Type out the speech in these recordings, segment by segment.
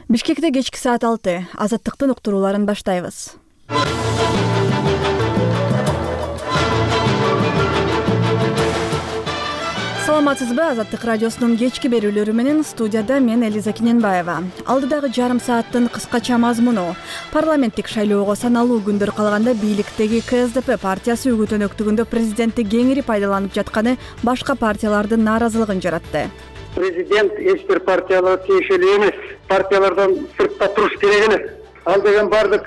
Бишкекте кечки саат 6 Азаттыктын уктурууларын баштайбыз. Саламатсызбы? Азаттык радиосунун кечки берүүлөрү менен студияда мен Элиза Кененбаева. Алдыдагы жарым сааттын кыскача мазмуну: парламенттик шайлоого саналуу күндөр калганда бийликтеги КСДП партиясы үгүт-өнөктүгүндө президентти кеңири пайдаланып жатканы башка партиялардын нааразылыгын жаратты. Президент эч бир партияларга тиешелүү эмес, партиялардан сыртта туруш керек эле. Ал деген бардык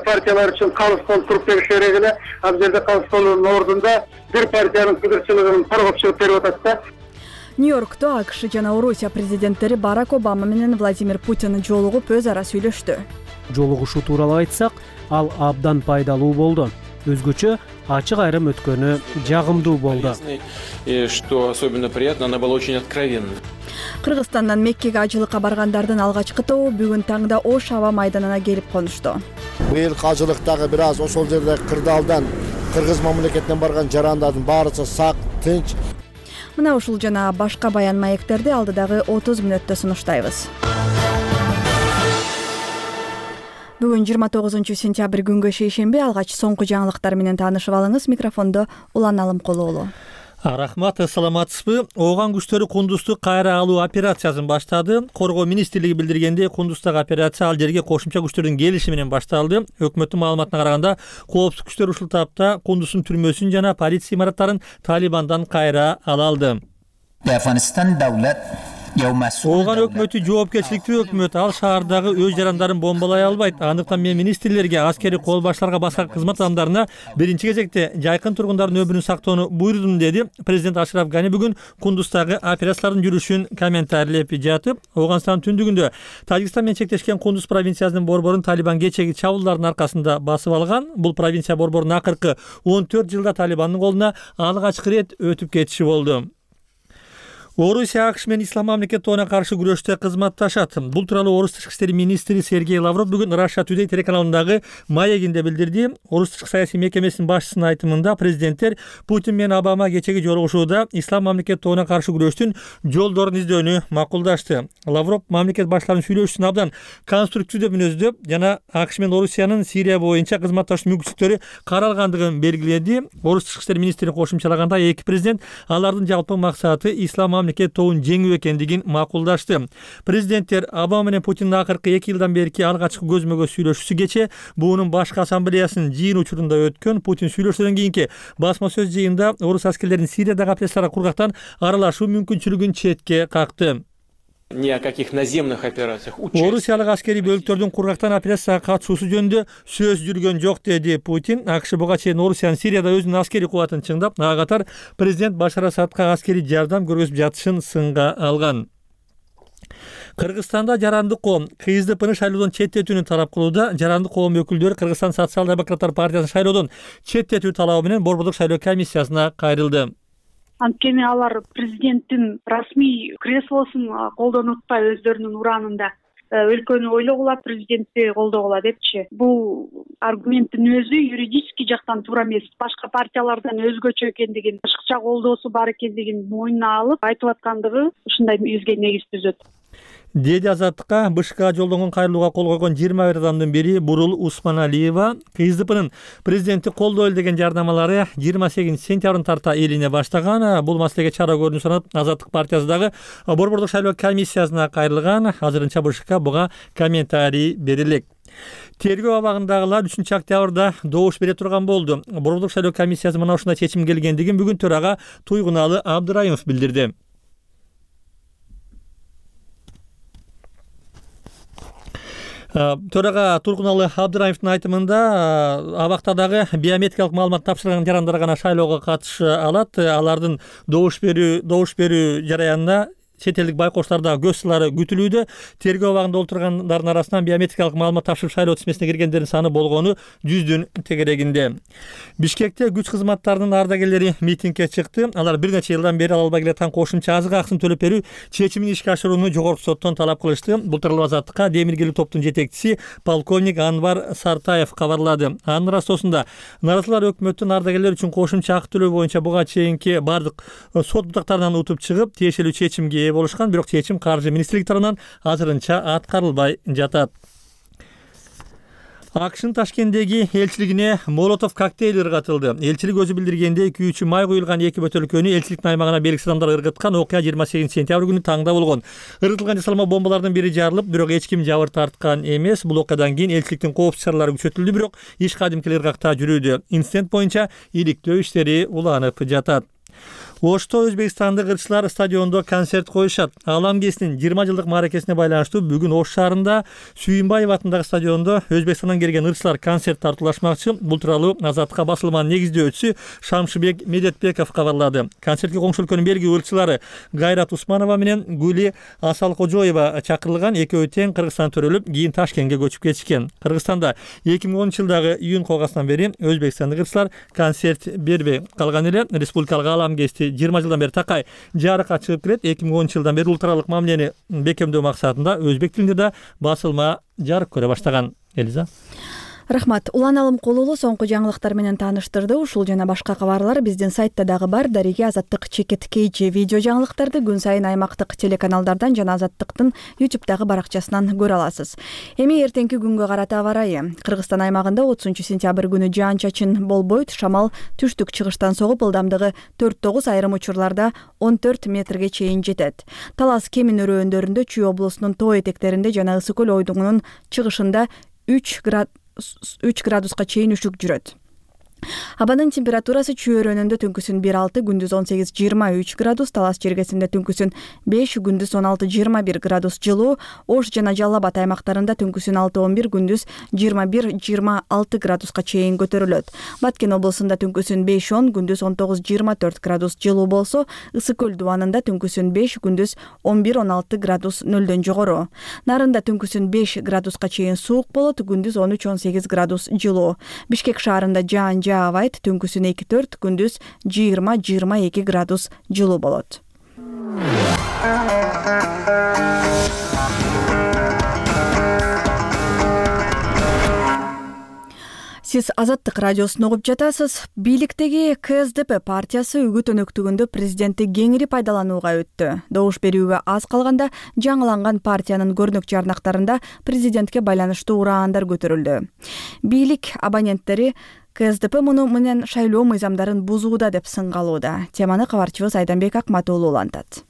партиялар үчүн калыс болуп туруп бериш керек эле. Ал жерде калыс болуунун ордунда бир партиянын кыдырчылыгын коргоп чыгып берип атат да. Нью-Йоркто АКШ жана Орусия президенттери Барак Обама менен Владимир Путин жолугуп өз ара сүйлөштү. Жолугушуу тууралуу айтсак, ал абдан пайдалуу болду. Өзгөчө ачык айрым өткөнү жагымдуу болду. Что особенно приятно, она была очень откровенна. Кыргызстандан Меккеге ажылыкка баргандардын алгачкы тобу бүгүн таңда Ош аба майданына келип конушту. Быйыл ажылыктагы бир аз ошол жерде кырдаалдан Кыргыз мамлекетинен барган жарандардын баарысы сак, тынч. Мына ушул жана башка баян маектерди алдыдагы 30 мүнөттө сунуштайбыз. Бүгүн 29 сентябрь күнгө шейшемби. Алгач соңку жаңылыктар менен таанышып алыңыз. Микрофондо Улан Алымкулуулу. Рахмат, саламатсызбы? Ооган күчтөрү Кундузду кайра алуу операциясын баштады. Коргоо министрлиги билдиргендей, Кундуздагы операция ал жерге кошумча күчтөрдүн келиши менен башталды. Өкмөттүн маалыматына караганда, коопсуздук күчтөр ушул тапта Кундуздун түрмөсүн жана полиция имараттарын Талибандан кайра ала алды. Ооган өкмөтү жоопкерчиликтүү өкмөт. Ал шаардагы өз жарандарын бомбалай албайт. Андыктан мен министрлерге, аскери кол баштарга, башка кызмат адамдарына биринчи кезекте жайкын тургундардын өмүрүн сактоону буйрудум, деди президент Ашраф Гани бүгүн Кундуздагы операциялардын жүрүшүн комментарийлеп жатып. Ооганстандын түндүгүндө Тажикстан менен чектешкен Кундуз провинциясынын борборун Талибан кечеги чабуулдардын аркасында басып алган. Бул провинция борборунун акыркы 14 жылда Талибандын колуна алгачкы ирет өтүп кетиши болду. Орусия АКШ менен Ислам мамлекет тобуна каршы күрөштө кызматташат. Бул тууралуу Орус тышкы иштери министри Сергей Лавров бүгүн Russia Today телеканалындагы маегинде билдирди. Орус тышкы саясий мекемесинин башчысынын айтымында президенттер Путин менен Обама кечеги жолугушууда Ислам мамлекет тобуна каршы күрөштүн жолдорун издөөнү макулдашты. Лавров мамлекет баштарынын сүйлөшүүсүн абдан конструктивдүү мүнөздөп жана АКШ менен Орусиянын Сирия боюнча кызматташуу мүмкүнчүлүктөрү каралгандыгын белгиледи. Орус тышкы иштери министри кошумчалаганда, эки президент алардын жалпы максаты Ислам мамлекет тобун жеңүү экендигин макулдашты. Президенттер Обама менен Путиндин акыркы 2 жылдан берки алгачкы көзмө-көз сүйлөшүүсү кече буунун башкы ассамблеясынын жыйын учурунда өткөн. Путин сүйлөшүүдөн кийинки басма сөз жыйында орус аскерлеринин Сириядагы операцияларга кургактан аралашуу мүмкүнчүлүгүн четке какты. Ни о каких наземных операциях. Орусиялык аскери бөлүктөрдүн кургактан операцияга катышуусу жөнүндө сөз жүргөн жок, деди Путин. АКШ буга чейин Орусиянын Сирияда өзүнүн аскери кубатын чыңдап, ага катар президент Башар Асадка аскери жардам көргөзүп жатышын сынга алган. Кыргызстанда жарандык коом КСДПны шайлоодон четтетүүнү талап кылууда. Жарандык коом өкүлдөрү Кыргызстан социал-демократтар партиясынын шайлоодон четтетүү талабы менен борбордук шайлоо комиссиясына кайрылды. Анткени алар президенттин расмий креслосун колдонуп атпай өздөрүнүн ураанында өлкөнү ойлогула, президентти колдогула депчи. Бул аргументтин өзү юридический жактан туура эмес. Башка партиялардан өзгөчө экендигин, башкача колдоосу бар экендигин мойнуна алып айтып аткандыгы ушундай бизге негиз түзөт, деди Азаттыкка БШКга жолдонгон кайрылууга кол койгон 21 адамдын бири Бурул Усманалиева. КСДПнын президентти колдойлу деген жардамалары 28 сентябрдын тарта элине баштаган. Бул маселеге чара көрүүнү суранып, Азаттык партиясы дагы борбордук шайлоо комиссиясына кайрылган. Азырынча БШК буга комментарий бере элек. Тергөө абагындагылар 3 октябрда добуш бере турган болду. Борбордук шайлоо комиссиясы мына ушундай чечим келгендигин бүгүн төрага Туйгуналы Абдыраимов билдирди. Төрага Тургуналы Абдыраимовдун айтымында, абакта дагы биометрикалык маалымат тапшырган жарандар гана шайлоого катыша алат. Алардын добуш берүү жараянында чет элдик байкоштарда көз сылары күтүлүүдө. Тергөө абагында олтургандардын арасынан биометрикалык маалымат тапшырып шайлоо тизмесине киргендердин саны болгону 100дүн тегерегинде. Бишкекте күч кызматтарынын ардагерлери митингге чыкты. Алар бир нече жылдан бери ала албай келаткан кошумча азык акысын төлөп берүү чечимин ишке ашырууну жогорку соттон талап кылышты. Бул тууралуу Азаттыкка демиргелүү топтун жетекчиси полковник Анвар Сартаев кабарлады. Анын ырастоосунда наразылар өкмөттүн ардагерлер үчүн кошумча акы төлөө боюнча буга чейинки бардык сот бутактарынан утуп чыгып, тиешелүү чечимге ээ болушкан, бирок чечим каржы министрлиги тарабынан азырынча аткарылбай жатат. АКШнын Ташкенттеги элчилигине молотов коктейль ыргатылды. Элчилик өзү билдиргенде 2 май куюлган 2 бөтөлкөнү элчиликтин аймагына белгисиз адамдар ыргыткан. Окуя 28 сентябрь күнү таңда болгон. Ыргытылган жасалма бомбалардын бири жарылып, бирок эч ким жабыр тарткан эмес. Бул окуядан кийин элчиликтин коопсуз чаралары күчөтүлдү, бирок иш кадимки ыргакта жүрүүдө. Инцидент боюнча иликтөө иштери уланып жатат. Ошто Өзбекстандык ырчылар стадиондо концерт коюшат. Алам кесинин 20 жылдык мааракесине байланыштуу бүгүн Ош шаарында Сүйүнбаев атындагы стадиондо Өзбекстандан келген ырчылар концерт тартуулашмакчы. Бул тууралуу Азаттыкка басылманын негиздөөчүсү Шамшыбек Медетбеков кабарлады. Концертке коңшу өлкөнүн белгилүү ырчылары Гайрат Усманова менен Гүли Асалкожоева чакырылган. Экөө тең Кыргызстан төрөлүп, кийин Ташкентке көчүп кетишкен. Кыргызстанда 2010 жылдагы июнь койгасынан бери Өзбекстандык ырчылар концерт бербей калган эле. Республикалык алам кести 20 жылдан бери такай жарыкка чыгып келет. 2010 жылдан бери улуттаралык мамилени бекемдөө максатында өзбек тилинде да басылма жарык көрө баштаган. Элиза. Рахмат. Улан Алымкулулу соңку жаңылыктар менен тааныштырды. Ушул жана башка кабарлар биздин сайтта дагы бар. Дареги Азаттык чекит KG видео жаңылыктарды күн сайын аймактык телеканалдардан жана Азаттыктын YouTube'дагы баракчасынан көрө аласыз. Эми эртеңки күнгө карата аба ырайы. Кыргызстан аймагында 30-сентябрь күнү жаан-чачын болбойт. Шамал түштүк чыгыштан согуп, ылдамдыгы 4-9, айрым учурларда 14 метрге чейин жетет. Талас Кемин өрөөндөрүндө, Чүй облусунун тоо этектеринде жана Ысык көл ойдуңунун чыгышында 3 градуска чейин үшүк жүрөт. Абанын температурасы Чүй өрөөнүндө түнкүсүн 1-6, күндүз 18-23 градус, Талас жергесинде түнкүсүн 5, күндүз 16-21 градус жылуу, Ош жана Жалал Абад аймактарында түнкүсүн 6-11, күндүз 21-26 градуска чейин көтөрүлөт. Баткен облусунда түнкүсүн 5-10, күндүз 19-24 градус жылуу болсо, Ысык көл дубанында түнкүсүн 5, күндүз 11-16 градус нөлдөн жогору. Нарында түнкүсүн 5 градуска чейин суук болот, күндүз 13-18 градус жылуу. Бишкек шаарында жаан жаабайт, түнкүсүн 2-4, күндүз 20-22 градус жылуу болот. Сиз Азаттык радиосун угуп жатасыз. Бийликтеги КСДП партиясы үгүт өнөктүгүндө президентти кеңири пайдаланууга өттү. Добуш берүүгө аз калганда жаңыланган партиянын көрүнөк жарнактарында президентке байланыштуу ураандар көтөрүлдү. Бийлик абоненттери КСДП муну менен шайлоо мыйзамдарын бузууда деп сынгалууда. Теманы кабарчыбыз Айданбек Акматуулу улантат.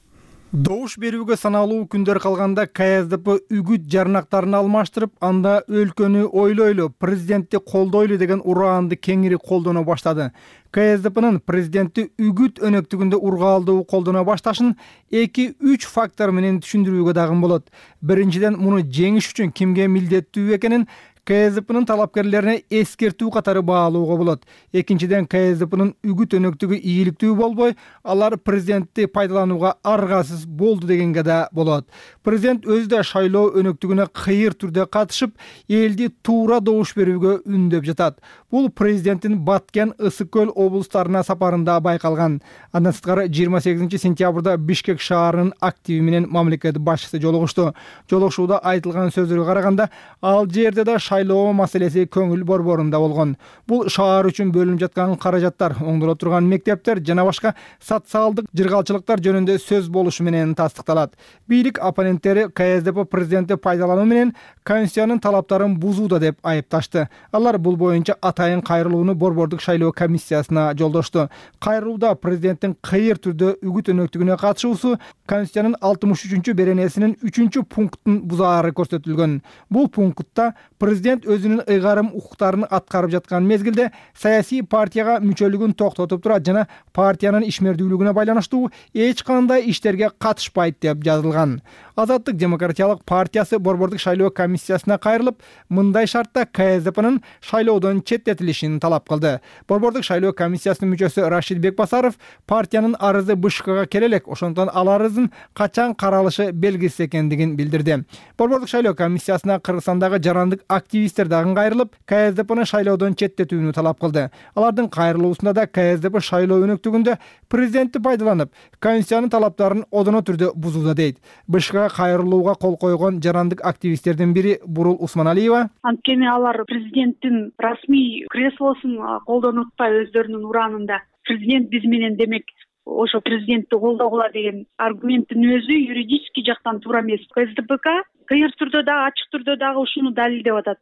Добуш берүүгө саналуу күндөр калганда КСДП үгүт жарнактарын алмаштырып, анда өлкөнү ойлойлу, президентти колдойлу деген ураанды кеңири колдоно баштады. КСДПнын президентти үгүт өнөктүгүндө ургаалдуу колдоно башташын 2-3 фактор менен түшүндүрүүгө дагы болот. Биринчиден, муну жеңиш үчүн кимге милдеттүү экенин КСДПнын талапкерлерине эскертүү катары баалууга болот. Экинчиден, КСДПнын үгүт өнөктүгү ийгиликтүү болбой, алар президентти пайдаланууга аргасыз болду дегенге да болот. Президент өзү да шайлоо өнөктүгүнө кыйыр түрдө катышып, элди туура добуш берүүгө үндөп жатат. Бул президенттин Баткен, Ысык көл облустарына сапарында байкалган. Андан сырткары 28 сентябрда Бишкек шаарынын активи менен мамлекет башчысы жолугушту. Жолугушууда айтылган сөздөргө караганда, ал жерде да шайлоо маселеси көңүл борборунда болгон. Бул шаар үчүн бөлүнүп жаткан каражаттар, оңдоло турган мектептер жана башка социалдык жыргалчылыктар жөнүндө сөз болушу менен тастыкталат. Бийлик оппоненттери КСДП президентти пайдалануу менен Конституциянын талаптарын бузууда деп айыпташты. Алар бул боюнча атайын кайрылууну борбордук шайлоо комиссиясына жолдошту. Кайрылууда президенттин кыйыр түрдө үгүт өнөктүгүнө катышуусу Конституциянын 63 беренесинин 3 пунктун бузаары көрсөтүлгөн. Бул пунктта президент өзүнүн ыйгарым укуктарын аткарып жаткан мезгилде саясий партияга мүчөлүгүн токтотуп турат жана партиянын ишмердүүлүгүнө байланыштуу эч кандай иштерге катышпайт деп жазылган. Азаттык демократиялык партиясы борбордук шайлоо комиссиясына кайрылып, мындай шартта КСДПнын шайлоодон четтетилишин талап кылды. Борбордук шайлоо комиссиясынын мүчөсү Рашид Бекбасаров партиянын арызы БШКга келе элек, ошондон ал арыздын качан каралышы белгисиз экендигин билдирди. Борбордук шайлоо комиссиясына Кыргызстандагы жарандык активисттер дагы кайрылып, КСДПны шайлоодон четтетүүнү талап кылды. Алардын кайрылуусунда да КСДП шайлоо өнөктүгүндө президентти пайдаланып, Конституциянын талаптарын одоно түрдө бузууда дейт. БШКга кайрылууга кол койгон жарандык активисттердин бири Бурул Усманалиева: анткени алар президенттин расмий креслосун колдонуп атпай өздөрүнүн ураанында. Президент биз менен демек ошо президентти колдогула деген аргументтин өзү юридический жактан туура эмес. КСДПК кыйыр түрдө дагы ачык түрдө дагы ушуну далилдеп атат.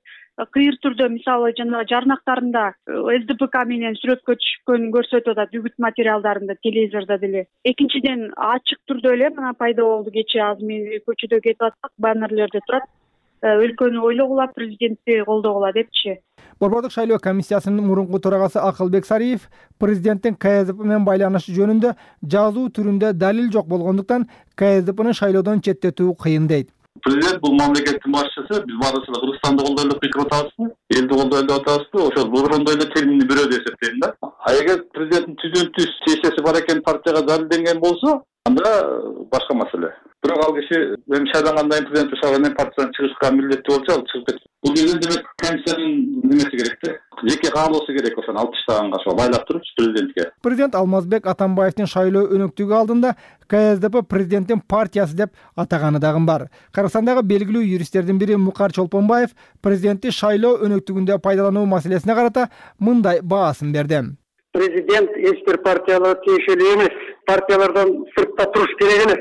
Кыйыр түрдө мисалы жанагы жарнактарында СДПК менен сүрөткө түшкөнүн көрсөтүп атат, үгүт материалдарында, телевизордо деле. Экинчиден ачык түрдө эле мына пайда болду кечээ азыр мен көчөдө кетип атсак, баннерлерде турат. Өлкөнү ойлогула, президентти колдогула депчи. Борбордук шайлоо комиссиясынын мурунку төрагасы Акылбек Сариев президенттин КСДП менен байланышы жөнүндө жазуу түрүндө далил жок болгондуктан КСДПны шайлоодон четтетүү кыйын дейт. Президент бул мамлекеттин башчысы, биз баарыбыз Кыргызстанды колдойлу деп пикир атабызбы, элди колдойлу деп атабызбы, ошол борондой эле терминди бирөө деп эсептейм да. Эгер президенттин түзүнтү сессиясы бар экен партияга далилденген болсо, анда башка маселе. Бирок ал киши эми шайлангандан кийин президент шайланып партиядан чыгышка милдеттүү болчу, ал чыгып кетти. Бул жерде демек комиссиянын немеси керек да. Жеке каалоосу керек ошону алып таштаганга ошо байлап туруп президентке. Президент Алмазбек Атамбаевдин шайлоо өнөктүгү алдында КСДП президенттин партиясы деп атаганы дагы бар. Кыргызстандагы белгилүү юристтердин бири Мукар Чолпонбаев президентти шайлоо өнөктүгүндө пайдалануу маселесине карата мындай баасын берди. Президент эч бир партияларга тиешелүү эмес. Партиялардан сыртта туруш керек эле.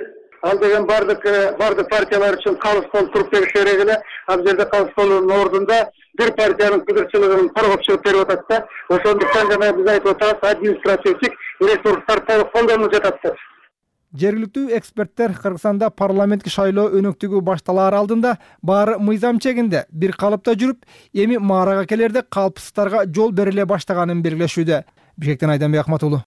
Ал деген бардык партиялар үчүн калыс болуп туруп бериш керек эле. Ал жерде калыс болуунун ордунда бир партиянын кыдырчылыгын коргоп чыгып берип атат да. Ошондуктан жана биз айтып атабыз, административдик ресурстар толук колдонулуп жатат деп. Жергиликтүү эксперттер Кыргызстанда парламенттик шайлоо өнөктүгү башталаар алдында баары мыйзам чегинде бир калыпта жүрүп, эми маарага келерде калпсыздыктарга жол бериле баштаганын белгилешүүдө. Бишкектен Айданбек Ахматулу.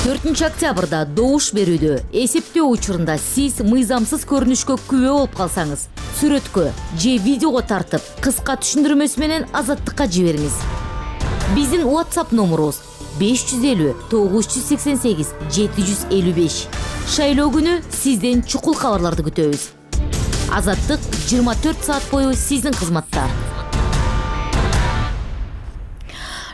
4 октябрда добуш берүүдө эсептөө учурунда сиз мыйзамсыз көрүнүшкө күбө болуп калсаңыз, сүрөткө же видеого тартып, кыска түшүндүрмөсү менен Азаттыкка жибериңиз. Биздин WhatsApp номерубуз 550 988 755. Шайлоо күнү сизден чукул кабарларды күтөбүз. Азаттык 24 саат бою сиздин кызматта.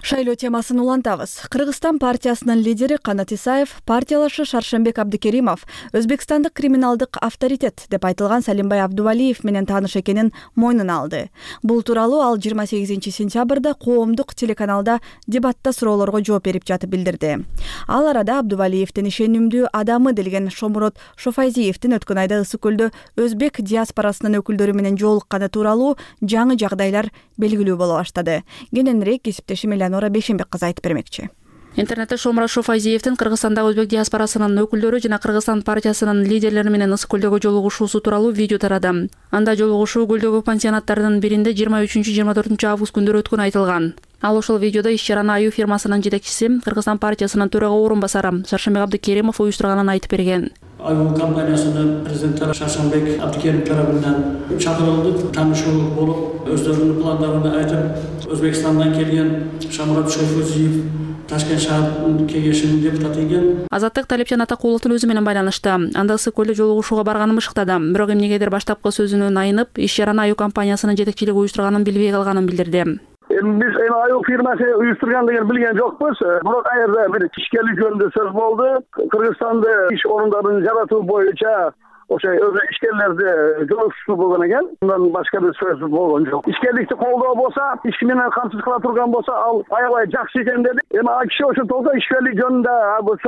Шайлоо темасын улантабыз. Кыргызстан партиясынын лидери Канат Исаев, партиялашы Шаршембек Абдыкеримов Өзбекстандык криминалдык авторитет деп айтылган Салимбай Абдувалиев менен тааныш экенин мойнуна алды. Бул тууралуу ал 28 сентябрда коомдук телеканалда дебатта суроолорго жооп берип жатып билдирди. Ал арада Абдувалиевдин ишенимдүү адамы делген Шомурот Шофайзиевдин өткөн айда Ысык көлдө өзбек диаспорасынын өкүлдөрү менен жолукканы тууралуу жаңы жагдайлар белгилүү боло баштады. Кененирээк кесиптешим Элеонора Бейшенбек кызы айтып бермекчи. Интернетте Шомурот Шофайзиевдин Кыргызстандагы өзбек диаспорасынын өкүлдөрү жана Кыргызстан партиясынын лидерлери менен Ысык көлдөгү жолугушуусу тууралуу видео тарады. Анда жолугушуу көлдөгү пансионаттардын биринде 23-24 август күндөрү өткөнү айтылган. Ал ошол видеодо иш-чараны Аю фирмасынын жетекчиси, Кыргызстан партиясынын төрага орун басары Шаршембек Абдыкеримов уюштурганын айтып берген. Аю компаниясынын президенти Шаршембек Абдыкеримов тарабынан чакырылды, таанышуу болуп, өздөрүнүн пландарын айтып, Өзбекстандан келген Шомурот Шофайзиев Ташкент шаар кеңешинин депутаты экен. Азаттык Талепчан Атакуловдун өзү менен байланышты. Анда Ысык көлдө жолугушууга барганын ышыктады. Бирок эмнегедир баштапкы сөзүнөн айнып, иш-чараны Аю компаниясынын жетекчилиги уюштурганын билбей калганын билдирди. Biz Аю фирмасы уюштурган деген билген жокпуз. Бирок айрда бир ишкерлик жөнүндө сөз болду. Кыргызстанда иш орундарын жаратуу боюнча ошо ишкерлерди жолугушуу болгон экен. Мындан башка бир сөз болгон жок. Ишкерликти колдоо болсо, иш менен камсыз кыла турган болсо, ал аябай жакшы экен деди. Эми ал киши ошондо ишкерлик жөнүндө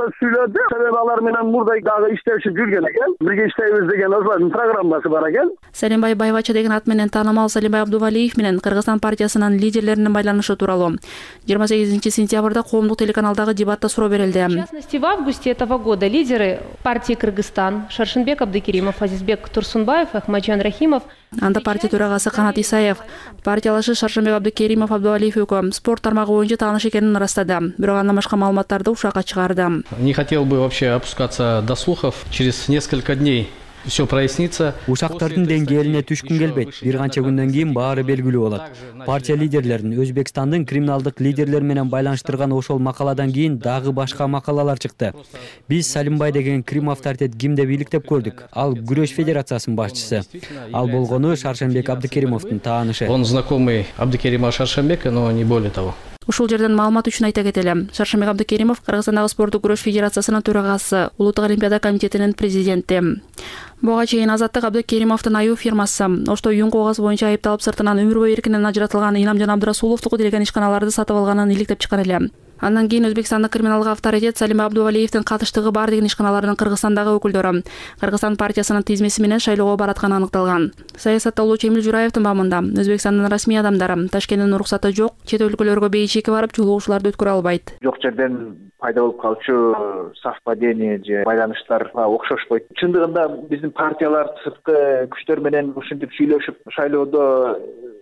сөз сүйлөдү. Себеби алар менен мурда дагы иштешип жүргөн экен. Бирге иштейбиз деген ошолордун программасы бар экен. Салимбай Байбача деген ат менен таанымал Салимбай Абдувалиев менен Кыргызстан партиясынын лидерлеринин байланышы тууралуу 28 сентябрда коомдук телеканалдагы дебатта суроо берилди. В частности, в августе этого года лидеры партии Кыргызстан Шаршембек Абдыкеримов, Азизбек Турсунбаев, Ахмаджан Рахимов. Анда партия төрагасы Канат Исаев, партиялашы Шаршембек Абдыкеримов Абдувалиев экөө спорт тармагы боюнча тааныш экенин ырастады. Бирок андан башка маалыматтарды ушакка чыгарды. Не хотел бы вообще опускаться до слухов. Через несколько дней все прояснится. Ушактардын деңгээлине түшкүн келбейт. Бир канча күндөн кийин баары белгилүү болот. Партия лидерлерин Өзбекстандын криминалдык лидерлер менен байланыштырган ошол макаладан кийин дагы башка макалалар чыкты. Биз Салимбай деген крим авторитет ким деп иликтеп көрдүк. Ал күрөш федерациясынын башчысы. Ал болгону Шаршембек Абдыкеримовдун таанышы. Он знакомый Абдыкерима Шаршембека, но не более того. Ушул жерден маалымат үчүн айта кетели. Шаршембек Абдыкеримов Кыргызстандагы спорттук күрөш федерациясынын төрагасы, Улуттук олимпиада комитетинин президенти. Буга чейин Азаттык Абдыкеримовдун Аю фирмасы ошто уюн кагаз боюнча айыпталып сыртынан өмүр бою эркинен ажыратылган Инамжан Абдрасуловдуку делген ишканаларды сатып алганын иликтеп чыккан эле. Андан кийин Өзбекстандык криминалдык авторитет Салим Абдувалиевдин катыштыгы бар деген ишканалардын Кыргызстандагы өкүлдөрү Кыргызстан партиясынын тизмеси менен шайлоого баратканы аныкталган. Саясаттоолучу Эмил Жураевдин бамында Өзбекстандын расмий адамдары Ташкенттин уруксаты жок, чет өлкөлөргө бейчеки барып жолугушууларды өткөрө албайт. Жок жерден пайда болуп калчу совпадение же байланыштарга окшошпойт. Чындыгында биздин партиялар сырткы күчтөр менен ушинтип сүйлөшүп шайлоодо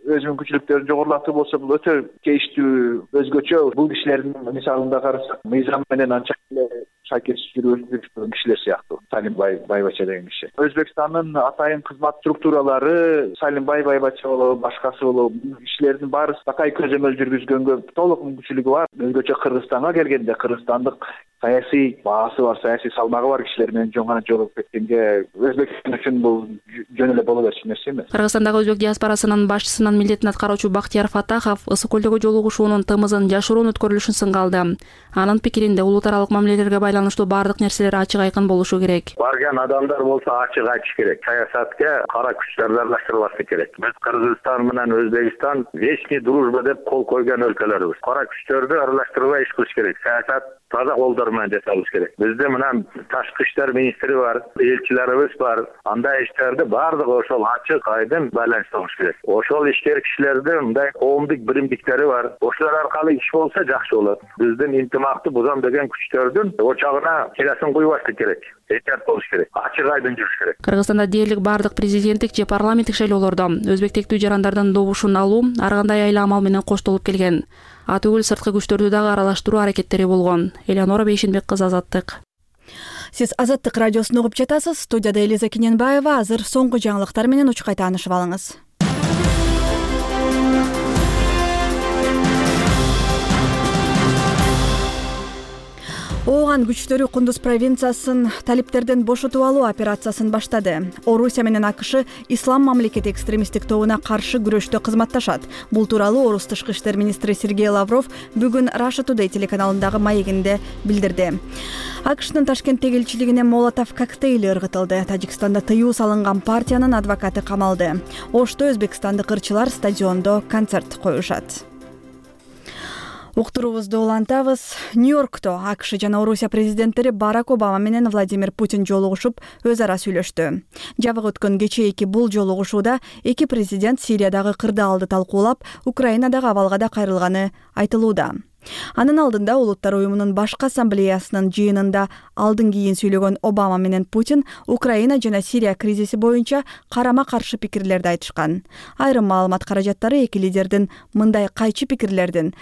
өз мүмкүнчүлүктөрүн жогорулатуу болсо бул өтө кейиштүү, өзгөчө. Бул кишилердин мисалында карасак, мыйзам менен анча эле шакес жүргүзүп кишилер сыяктуу. Салим Байбача деген киши. Өзбекстандын атайын кызмат структуралары Салим Байбача болобу, башкасы болобу, кишилердин баары такай көзөмөл жүргүзгөнгө толук мүмкүнчүлүгү бар. Өзгөчө Кыргызстанга келгенде кыргызстандык саясий баасы бар, саясий салмагы бар кишилер менен жөн жолугуп кеткенге Өзбекстан үчүн бул жөн эле боло берчү нерсе эмес. Кыргызстандагы өзбек диаспорасынын башчысынын милдетин аткаруучу Бактияр Фатахов Ысык көлдөгү жолугушуунун тымызын жашыруун өткөрүлүшүн сынга алды. Анын пикиринде улут аралык мамилелерге байланыштуу баардык нерселер ачык айкын болушу керек. Барган адамдар болсо ачык айтыш керек. Саясатка кара күчтөр аралаштырылбашы керек. Биз Кыргызстан менен Өзбекстан вечный дружба деп кол койгон өлкөлөрбүз. Кара күчтөрдү аралаштырбай иш кылыш керек. Саясат таза колдор менен жасалыш керек. Бизде менен ташкы иштер министри бар, элчилерибиз бар. Андай иштерди баардыгы ошол ачык айдын байланыштырыш керек. Ошол ишкер кишилердин мындай коомдук биримдиктери бар. Ошолор аркылуу иш болсо жакшы болот. Биздин интимакты бузам деген күчтөрдүн очагына келесин куйбаштык керек. Этер болуш керек. Ачык айдын жүрүш керек. Кыргызстанда дээрлик баардык президенттик же парламенттик шайлоолордо өзбек тектүү жарандардын добушун алуу ар кандай айла амал менен коштолуп келген. Ат үгүл сырткы күчтөрдү дагы аралаштыруу аракеттери болгон. Элеонора Бейшенбек кызы, Азаттык. Сиз Азаттык радиосун угуп жатасыз. Студияда Элиза Киненбаева. Азыр соңку жаңылыктар менен учкай таанышып алыңыз. Ооган күчтөрү Кундуз провинциясын талиптерден бошотуп алуу операциясын баштады. Орусия менен АКШ ислам мамлекети экстремисттик тобуна каршы күрөштө кызматташат. Бул тууралуу Орус тышкы иштер министри Сергей Лавров бүгүн Russia Today телеканалындагы маегинде билдирди. АКШнын Ташкенттеги элчилигине молотов коктейли ыргытылды. Тажикстанда тыюу салынган партиянын адвокаты камалды. Ошто өзбекстандык ырчылар стадиондо концерт коюшат. Уктуруубузду улантабыз. Нью-Йоркто АКШ жана Орусия президенттери Барак Обама менен Владимир Путин жолугушуп, өз ара сүйлөштү. Жабык өткөн кечээки бул жолугушууда эки президент Сириядагы кырдаалды талкуулап, Украинадагы абалга да кайрылганы айтылууда. Анын алдында Улуттар уюмунун башкы ассамблеясынын жыйынында алдын кийин сүйлөгөн Обама менен Путин Украина жана Сирия кризиси боюнча карама-каршы пикирлерди айтышкан. Айрым маалымат каражаттары эки лидердин мындай кайчы пикирлердин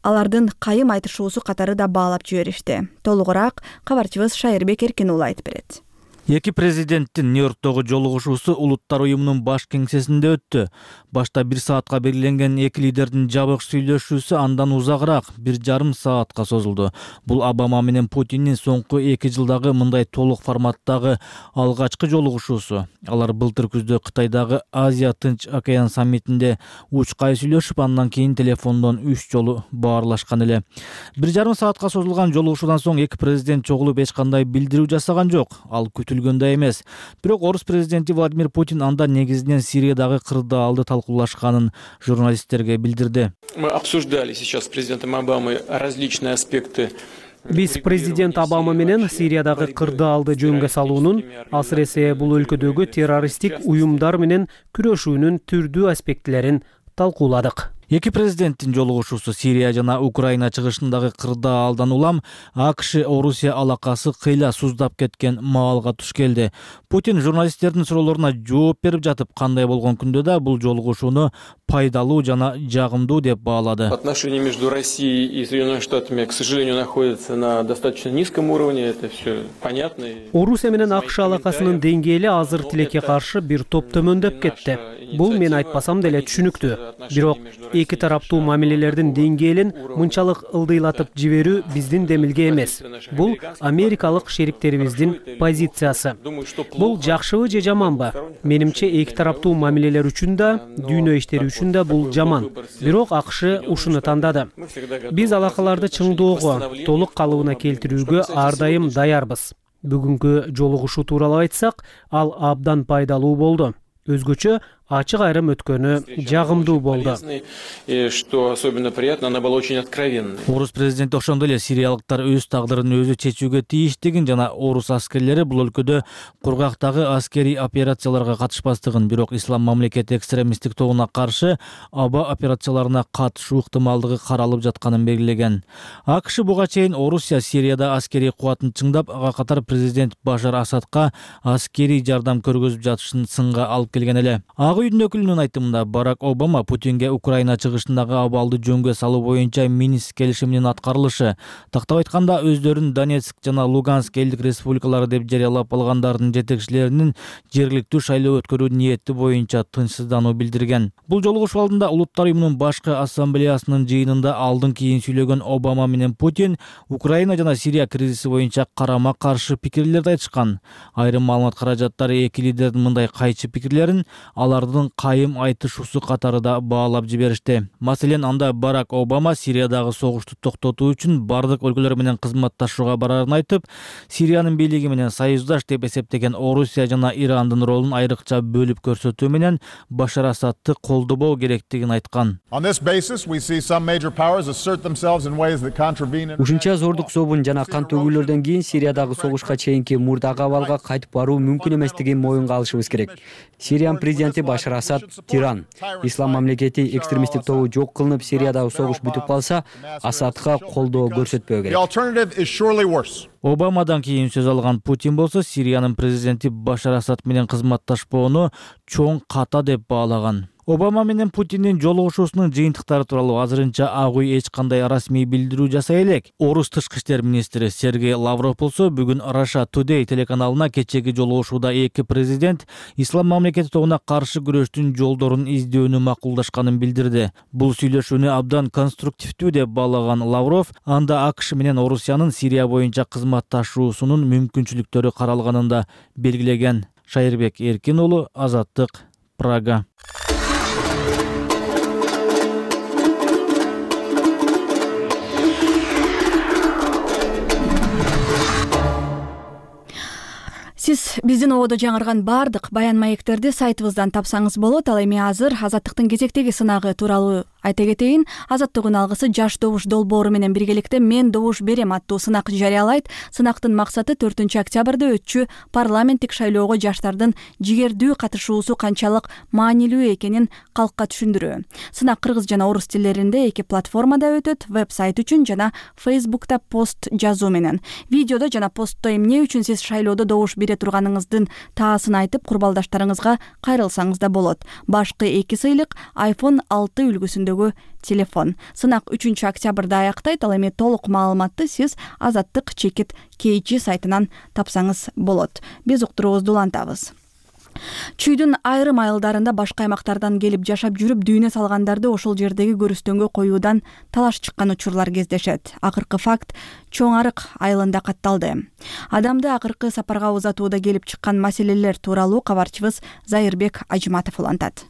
алардын кайым айтышуусу катары да баалап жиберишти. Толугураак кабарчыбыз Шайырбек Эркин уулу айтып берет. Эки президенттин Нью-Йорктогу жолугушуусу Улуттар уюмунун баш кеңсесинде өттү. Башта 1 саатка белгиленген эки лидердин жабык сүйлөшүүсү андан узагыраак 1,5 саатка созулду. Бул Обама менен Путиндин соңку 2 жылдагы мындай толук форматтагы алгачкы жолугушуусу. Алар былтыр күздө Кытайдагы Азия Тынч океан саммитинде учкай сүйлөшүп, андан кийин телефондон 3 жолу баарлашкан эле. 1,5 саатка созулган жолугушуудан соң эки президент чогулуп эч кандай билдирүү жасаган жок. Ал күтүлгөндөй эмес. Бирок Орус президенти Владимир Путин анда негизинен Сириядагы кырдаалды талкуулашканын журналисттерге билдирди. Мы обсуждали сейчас с президентом Обамой различные аспекты. Биз президент Обама менен Сириядагы кырдаалды жөнгө салуунун, асыресе бул өлкөдөгү террористтик уюмдар менен күрөшүүнүн түрдүү аспектилерин талкууладык. Эки президенттин жолугушуусу Сирия жана Украина чыгышындагы кырдаалдан улам АКШ Орусия алакасы кыйла суздап кеткен маалга туш келди. Путин журналисттердин суроолоруна жооп берип жатып, кандай болгон күндө да бул жолугушууну пайдалуу жана жагымдуу деп баалады. Отношения между Россией и Соединенными Штатами, к сожалению, находятся на достаточно низком уровне, это все понятно. Орусия менен АКШ алакасынын деңгээли азыр тилекке каршы бир топ төмөндөп кетти. Бул мен айтпасам деле түшүнүктүү. Бирок эки тараптуу мамилелердин деңгээлин мынчалык ылдыйлатып жиберүү биздин демилге эмес. Бул америкалык шериктерибиздин позициясы. Бул жакшыбы же жаманбы? Менимче эки тараптуу мамилелер үчүн да, дүйнө иштери үчүн да бул жаман. Бирок АКШ ушуну тандады. Биз алакаларды чыңдоого, толук калыбына келтирүүгө ар дайым даярбыз. Бүгүнкү жолугушуу тууралуу айтсак, ал абдан пайдалуу болду. Өзгөчө ачык айрым өткөнү жагымдуу болду. И что особенно приятно, она была очень откровенной. Орус президенти ошондой эле сириялыктар өз тагдырын өзү чечүүгө тийиштигин жана орус аскерлери бул өлкөдө кургактагы аскерий операцияларга катышпастыгын, бирок ислам мамлекети экстремисттик тобуна каршы аба операцияларына катышуу ыктымалдыгы каралып жатканын белгилеген. АКШ буга чейин Орусия Сирияда аскерий кубатын чыңдап, ага катар президент Башар Асадка аскерий жардам көргөзүп жатышын сынга алып келген эле. Ак үйдүн өкүлүнүн айтымында Барак Обама Путинге Украина чыгышындагы абалды жөнгө салуу боюнча Минск келишиминин аткарылышы, тактап айтканда өздөрүн Донецк жана Луганск элдик республикалары деп жарыялап алгандардын жетекчилеринин жергиликтүү шайлоо өткөрүү ниети боюнча тынчсыздануу билдирген. Бул жолугушуу алдында Улуттар уюмунун башкы ассамблеясынын жыйынында алдын кийин сүйлөгөн Обама менен Путин Украина жана Сирия кризиси боюнча карама каршы пикирлерди айтышкан. Айрым маалымат каражаттары эки лидердин мындай кайчы пикирлерин алардын кайым айтышуусу катарында баалап жиберишти. Маселен, анда Барак Обама Сириядагы согушту токтотуу үчүн бардык өлкөлөр менен кызматташууга барарын айтып, Сириянын бийлиги менен союздаш деп эсептеген Орусия жана Ирандын ролун айрыкча бөлүп көрсөтүү менен Башар Асадты колдобоо керектигин айткан. Ушунча зордук собун жана кан төгүүлөрдөн кийин Сириядагы согушка чейинки мурдагы абалга кайтып баруу мүмкүн эместигин моюнга алышыбыз керек. Сириянын президенти Башар Асад тиран. Ислам мамлекети экстремисттик тобу жок кылынып, Сириядагы согуш бүтүп калса, Асадка колдоо көрсөтпөө керек. Обамадан кийин сөз алган Путин болсо Сириянын президенти Башар Асад менен кызматташпоону чоң ката деп баалаган. Обама менен Путиндин жолугушуусунун жыйынтыктары тууралуу азырынча Ак үй эч кандай расмий билдирүү жасай элек. Орус тышкы иштер министри Сергей Лавров болсо бүгүн Russia Today телеканалына кечеги жолугушууда эки президент ислам мамлекети тобуна каршы күрөштүн жолдорун издөөнү макулдашканын билдирди. Бул сүйлөшүүнү абдан конструктивдүү деп баалаган Лавров, анда АКШ менен Орусиянын Сирия боюнча кызматташуусунун мүмкүнчүлүктөрү каралганын да белгилеген. Шайырбек Эркин уулу, Азаттык, Прага. Сиз биздин ободо жаңырган бардык баян маектерди сайтыбыздан тапсаңыз болот. Ал эми азыр Азаттыктын кезектеги сынагы тууралуу айта кетейин. Азаттыктын алгысы жаш добуш долбоору менен биргеликте Мен добуш берем аттуу сынак жарыялайт. Сынактын максаты 4-октябрда өтчү парламенттик шайлоого жаштардын жигердүү катышуусу канчалык маанилүү экенин калкка түшүндүрүү. Сынак кыргыз жана орус тилдеринде эки платформада өтөт: веб-сайт үчүн жана Facebook'та пост жазуу менен. Видеодо жана постто эмне үчүн сиз шайлоодо добуш бере турганыңыздын таасын айтып, курбалдаштарыңызга кайрылсаңыз да болот. Башкы эки сыйлык iPhone 6 үлгүсүндөгү телефон. Сынак 3-октябрда аяктайт. Ал эми толук маалыматты сиз Азаттык чекит KG сайтынан тапсаңыз болот. Биз уктуруубузду улантабыз. Чүйдүн айрым айылдарында башка аймактардан келип жашап жүрүп дүйнө салгандарды ошол жердеги көрүстөнгө коюудан талаш чыккан учурлар кездешет. Акыркы факт Чоң Арык айылында катталды. Адамды акыркы сапарга узатууда келип чыккан маселелер тууралуу кабарчыбыз Зайырбек Ажматов улантат.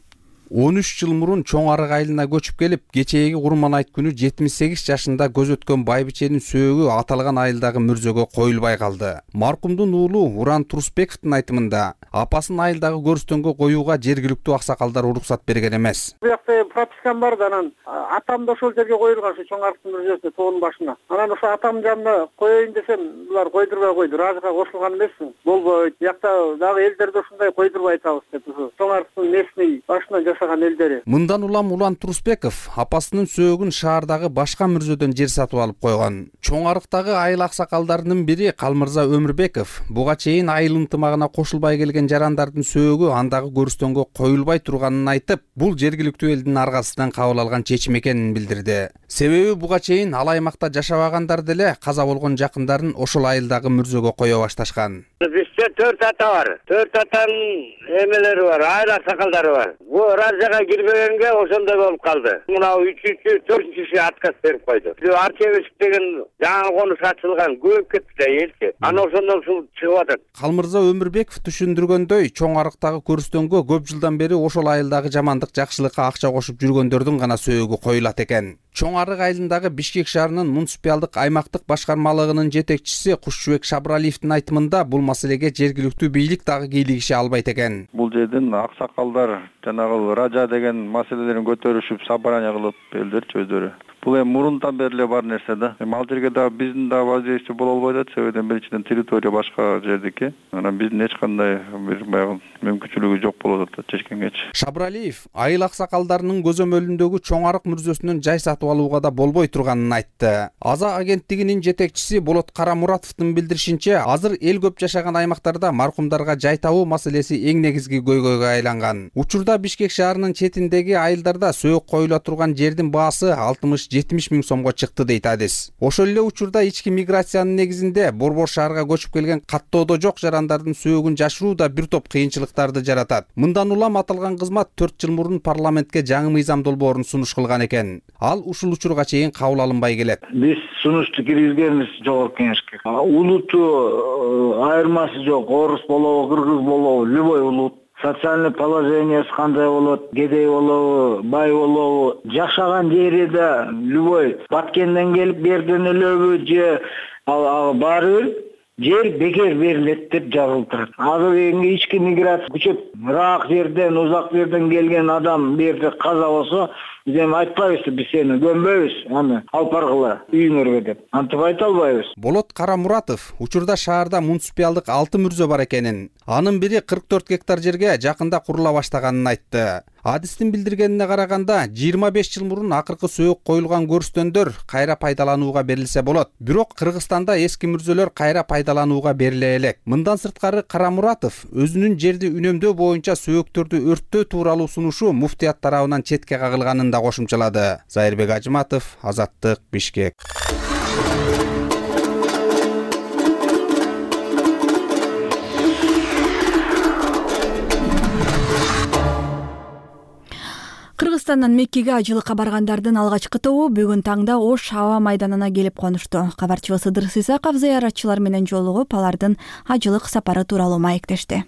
13 жыл мурун Чоң Арык айылына көчүп келип, кечээги Курман айт күнү 78 жашында көз өткөн байбиченин сөөгү аталган айылдагы мүрзөгө коюлбай калды. Маркумдун уулу Уран Турусбековдун айтымында, апасын айылдагы көрүстөнгө коюуга жергиликтүү аксакалдар уруксат берген эмес. Бу жакта пропискам бар да, анан атам да ошол жерге коюлган, ушу Чоң Арыктын мүрзөсүнө, тоонун башына. Анан ошо атам жанына коеюн десем, булар койдурбай койду. Разыга кошулган эмесмин. Болбойт. Биякта дагы элдерди ушундай койдурбай атабыз деп, ушу Чоң Арыктын местный башына Мындан улам Улан Турусбеков апасынын сөөгүн шаардагы башка мүрзөдөн жер сатып алып койгон. Чоң Арыктагы айыл аксакалдарынын бири Калмырза Өмүрбеков буга чейин айыл ынтымагына кошулбай келген жарандардын сөөгү андагы көрүстөнгө коюлбай турганын айтып, бул жергиликтүү элдин аргасынан кабыл алган чечим экенин билдирди. Себеби буга чейин ал аймакта жашабагандар деле каза болгон жакындарын ошол айылдагы мүрзөгө кое башташкан. Бизде 4 ата бар. 4 атанын эмелери бар, айыл аксакалдары бар. Бу разага кирбегенге ошондой болуп калды. Мына 3-чү, 4-чү отказ берип койду. Арчебесик деген жаңы конуш ачылган, көп кетти да элчи. Аны ошондон суу чыгып атат. Калмырза Өмүрбеков түшүндүргөндөй, Чоң Арыктагы көрүстөнгө көп жылдан бери ошол айылдагы жамандык жакшылыкка акча кошуп жүргөндөрдүн гана сөөгү коюлат экен. Чоң Арык айылындагы Бишкек шаарынын муниципалдык аймактык башкармалыгынын жетекчиси Кушчубек Шабыралиевдин айтымында бул маселеге жергиликтүү бийлик дагы кийлигише албайт экен. Бул жерден аксакалдар жанагы ража деген маселелерин көтөрүшүп собрание кылып элдерчи өздөрү. Бул эми мурундан бери эле бар нерсе да. Эми ал жерге дагы биздин да воздействие боло албайт атат. Себебинен биринчиден территория башка жердики. Анан биздин эч кандай бир баягы мүмкүнчүлүгү жок болот атат чечкенгечи. Шабыралиев айыл аксакалдарынын көзөмөлүндөгү Чоң Арык мүрзөсүнөн жай сатып алууга да болбой турганын айтты. Аза агенттигинин жетекчиси Болот Карамуратовдун билдиришинче, азыр эл көп жашаган аймактарда маркумдарга жай табуу маселеси эң негизги көйгөйгө айланган. Учурда Бишкек шаарынын четиндеги айылдарда сөөк коюла турган жердин баасы 60-70 миң сомго чыкты дейт адис. Ошол эле учурда ички миграциянын негизинде Борбор шаарга көчүп келген каттоодо жок жарандардын сөөгүн жашыруу да бир топ кыйынчылыктарды жаратат. Мындан улам аталган кызмат 4 жыл мурун парламентке жаңы мыйзам долбоорун сунуш кылган экен. Ал ушул учурга чейин кабыл алынбай келет. Биз сунушту киргизгенбиз Жогорку Кеңешке. Улуту айырмасы жок, орус болобу, кыргыз болобу, любой улут. Социальный положениясы кандай болот, кедей болобу, бай болобу, жашаган жери да любой Баткенден келип берден элеби же баары жер бекер берилет деп жазылып турат. Азыр эми ички миграция күчөп, ырак жерден, узак жерден келген адам бу жерде каза болсо, биз эми айтпайбыз, биз сени көмбөйбүз, аны алып баргыла үйүңөргө деп. Антип айта албайбыз. Болот Карамуратов учурда шаарда муниципалдык 6 мүрзө бар экенин, анын бири 44 гектар жерге жакында курула баштаганын айтты. Адистин билдиргенине караганда 25 жыл мурун акыркы сөөк коюлган көрүстөндөр кайра пайдаланууга берилсе болот. Бирок Кыргызстанда эски мүрзөлөр кайра пайдаланууга бериле элек. Мындан сырткары Карамуратов өзүнүн жерди үнөмдөө боюнча сөөктөрдү өрттөө тууралуу сунушу муфтият тарабынан четке кагылганын да кошумчалады. Зайырбек Ажыматов, Азаттык, Бишкек. Кыргызстандан Меккеге ажылыкка баргандардын алгачкы тобу бүгүн таңда Ош аба майданына келип конушту. Кабарчыбыз Ыдырыс Исаков зыяратчылар менен жолугуп, алардын ажылык сапары тууралуу маектешти.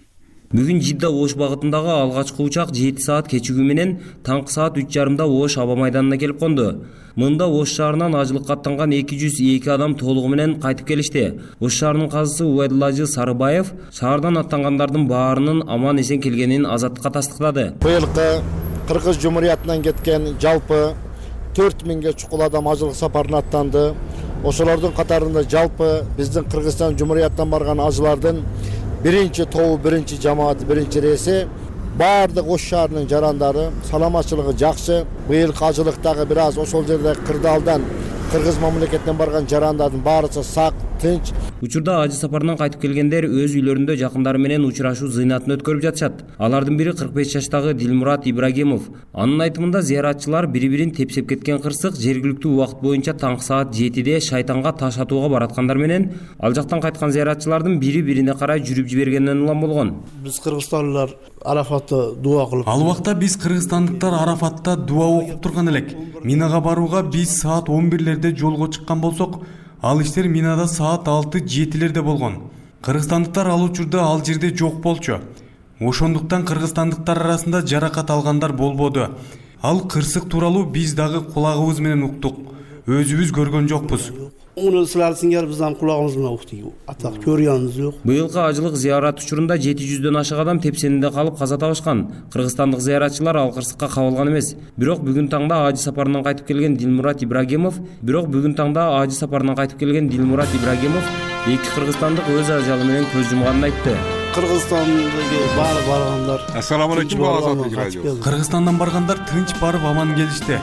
Бүгүн Жидда Ош багытындагы алгачкы учак 7 саат кечигүү менен таңкы саат 3:30 Ош аба майданына келип конду. Мында Ош шаарынан ажылыкка аттанган 202 адам толугу менен кайтып келишти. Ош шаарынын казысы Убайдулла Сарыбаев шаардан аттангандардын баарынын аман эсен келгенин Азаттыкка тастыктады. Быйылкы Кыргыз Жумуриятынан кеткен жалпы 4000 чукул адам ажылык сапарына аттанды. Ошолордун катарында жалпы биздин Кыргызстан Жумуриятынан барган ажылардын биринчи тобу, биринчи жамааты, биринчи рейси баардык Ош шаарынын жарандары саламатчылыгы жакшы. Быйылкы ажылыктагы бир аз ошол жерде кырдаалдан Кыргыз мамлекетинен барган жарандардын баарысы сак, тынч. Учурда ажы сапарынан кайтып келгендер өз үйлөрүндө жакындары менен учурашуу зыйнатын өткөрүп жатышат. Алардын бири 45 жаштагы Дилмурат Ибрагимов. Анын айтымында зыяратчылар бири-бирин тепсеп кеткен кырсык жергиликтүү убакыт боюнча таңкы саат 7-де шайтанга таш атууга бараткандар менен ал жактан кайткан зыяратчылардын бири-бирине карай жүрүп жибергенинен улам болгон. Биз кыргызстандыктар Арафатта дуа кылып. Ал убакта биз кыргызстандыктар Арафатта дуа окуп турган элек. Минага барууга биз саат 11-лерде жолго чыккан болсок, ал иштер Минада саат 6-7-лерде болгон. Кыргызстандыктар ал учурда ал жерде жок болчу. Ошондуктан кыргызстандыктар арасында жаракат алгандар болбоду. Ал кырсык тууралуу биз дагы кулагыбыз менен уктук. Өзүбүз көргөн жокпуз. Уну силер сиңер биздин кулагыбыз менен уктук. Атак көргөнүбүз жок. Быйылкы ажылык зыярат учурунда 700дөн ашык адам тепсенинде калып каза табышкан. Кыргызстандык зыяратчылар ал кырсыкка кабылган эмес. Бирок бүгүн таңда ажы сапарынан кайтып келген Дилмурат Ибрагимов, эки кыргызстандык өз ажалы менен көз жумганын айтты. Кыргызстандагы баргандар. Ассаламу алейкум, Азаттык радио. Кыргызстандан баргандар тынч барып аман келишти.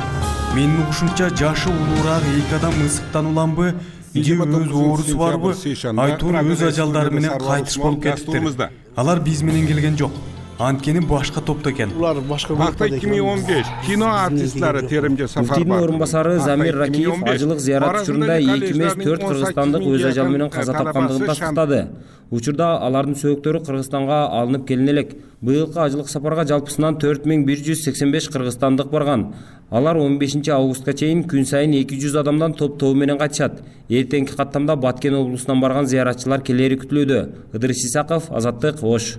Менин угушумча жашы улуураак эки адам ысыктан уламбы, же өз оорусу барбы, айтор өз ажалдары менен кайтыш болуп кетиптир. Алар биз менен келген жок. Анткени башка топто экен. Улар башка группада экен. 2015 кино артистлери теримде сафар бар. Муфтийдин орун басары Замир Ракиев ажылык зыярат учурунда 2 эмес 4 кыргызстандык өз ажалы менен каза тапкандыгын тастыктады. Учурда алардын сөөктөрү Кыргызстанга алынып келине элек. Быйылкы ажылык сапарга жалпысынан 4185 кыргызстандык барган. Алар 15 августка чейин күн сайын 200 адамдан топ менен кайтышат. Эртеңки каттамда Баткен облусунан барган зыяратчылар келери күтүлүүдө. Ыдырыс Исаков, Азаттык, Ош.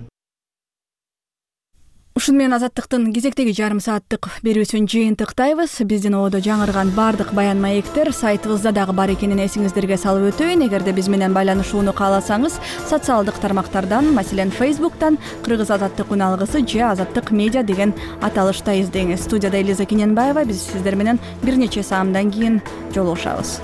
Ушун менен Азаттыктын кезектеги жарым сааттык берүүсүн жыйынтыктайбыз. Биздин ободо жаңырган бардык баян маектер сайтыбызда дагы бар экенин эсиңиздерге салып өтөйүн. Эгерде биз менен байланышууну кааласаңыз, социалдык тармактардан, маселен Facebooktан Кыргыз Азаттык уналгысы же Азаттык медиа деген аталышта издеңиз. Студияда Элиза Кененбаева. Биз сиздер менен бир нече саамдан кийин жолугушабыз.